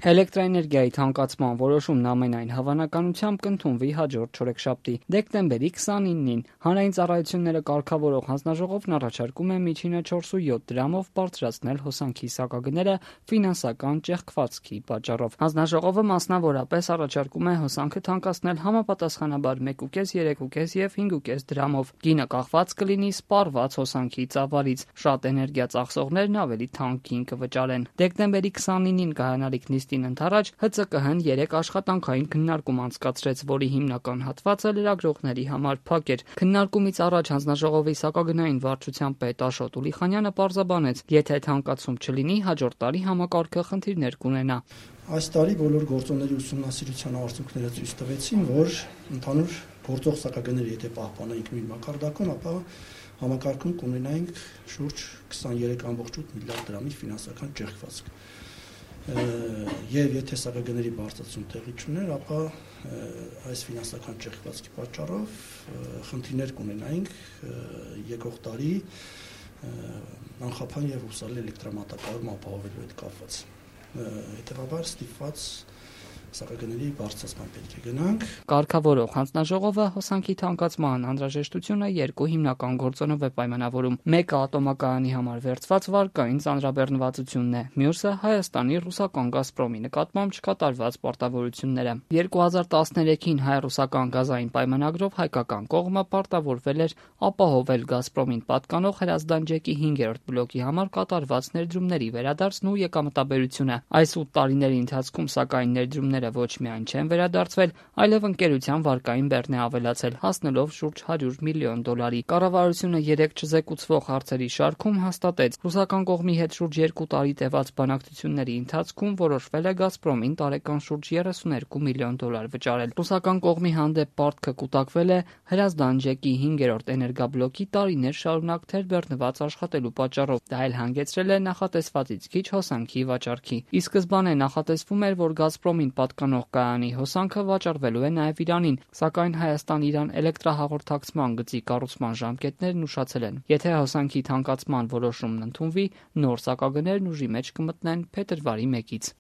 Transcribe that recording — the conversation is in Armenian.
Էլեկտրաէներգիայի թանկացման որոշումն ամենայն հավանականությամբ կընդունվի հաջորդ չորեքշաբթի՝ դեկտեմբերի 29-ին։ Հանրային ծառայությունները կարգավորող հանձնաժողովն առաջարկում է միջինը 4.7 դրամով բարձրացնել հոսանքի սակագները ֆինանսական ճեղքվածքի պատճառով։ Հանձնաժողովը մասնավորապես առաջարկում է հոսանքը թանկացնել համապատասխանաբար 1.5, 3.5 և 5.5 դրամով։ Գինը կախված կլինի սպառված հոսանքի ծավալից։ Շատ էներգիա ծախսողներն ավելի թանկ գին կվճարեն։ Դեկտեմբերի 29-ին կայանալիք նիստին ընդառաջ ՀԾԿՀ-ն 3 աշխատանքային քննարկում անցկացրեց, որի հիմնական հատվածը լրագրողների համար փակ էր։ Քննարկումից առաջ հանձնաժողովի սակագնային վարչության պետ Աշոտ Ուլիխանյանը պարզաբանեց, եթե թանկացում չլինի, հաջորդ տարի համակարգը խնդիրներ կունենա։ Այս տարի բոլոր գործոնների ուսումնասիրության արդյունքները ցույց տվեցին, որ ընդհանուր գործող սակագները եթե պահպանենք նույն մակարդակում, ապա համակարգում կունենայինք շուրջ 23.8 միլիարդ դրամի ֆինանսական ճեղքվածք։ Եվ եթե սակագների բարձրացում տեղի չուներ, ապա այս ֆինանսական ճեղքվածքի պատճառով խնդիրներ կունենայինք եկող տարի անխափան եւ հուսալի էլեկտրամատակարարում ապահովելու հետ կապված։ Հետևաբար ստիպված սակագների բարձրացման պետք է գնանք։ Կարգավորող հանձնաժողովը հոսանքի թանկացման անհրաժեշտությունը երկու հիմնական գործոնով է պայմանավորում։ Մեկը ատոմակայանի համար վերցված վարկային ծանրաբեռնվածությունն է, մյուսը Հայաստանի ռուսական «Գազպրոմի» նկատմամբ չկատարված պարտավորությունները։ 2013-ին հայ-ռուսական գազային պայմանագրով հայկական կողմը պարտավորվել էր ապահովել «Գազպրոմին» պատկանող հրազդան ջեկի 5-րդ բլոկի համար կատարված ներդրումների վերադարձն ու եկամտաբերությունը։ Այս 8 տարիների ընթացքում, սակայն, ներդրումները ոչ միայն չեն վերադարձվել, այլև ընկերության վարկային բեռն է ավելացել, հասնելով շուրջ $100 միլիոն։ Կառավարությունը 3 չզեկուցվող հարցերի շարքում հաստատեց՝ ռուսական կողմի հետ շուրջ 2 տարի տևած բանակցությունների ընթացքում որոշվել է «Գազպրոմին» տարեկան շուրջ $32 միլիոն վճարել։ Ռուսական կողմի հանդեպ պարտքը կուտակվել է հրազդան ջեկի 5-րդ էներգաբլոկի տարիներ շարունակ թերբեռնված աշխատելու պատճառով։ Դա էլ հանգեցրել է նախատեսվածից քիչ հոսանքի վաճառքի։ Ի սկզբանե նախատեսվում էր, որ «Գազպրոմին» պատկանող կայանի հոսանքը վաճառվելու է նաև Իրանին, սակայն Հայաստան-Իրան էլեկտրահաղորդակցման գծի կառուցման ժամկետներն ուշացել են։ Եթե հոսանքի թանկացման որոշումն ընդունվի, նոր սակագներն ուժի մեջ կմտնեն փետրվարի 1-ից։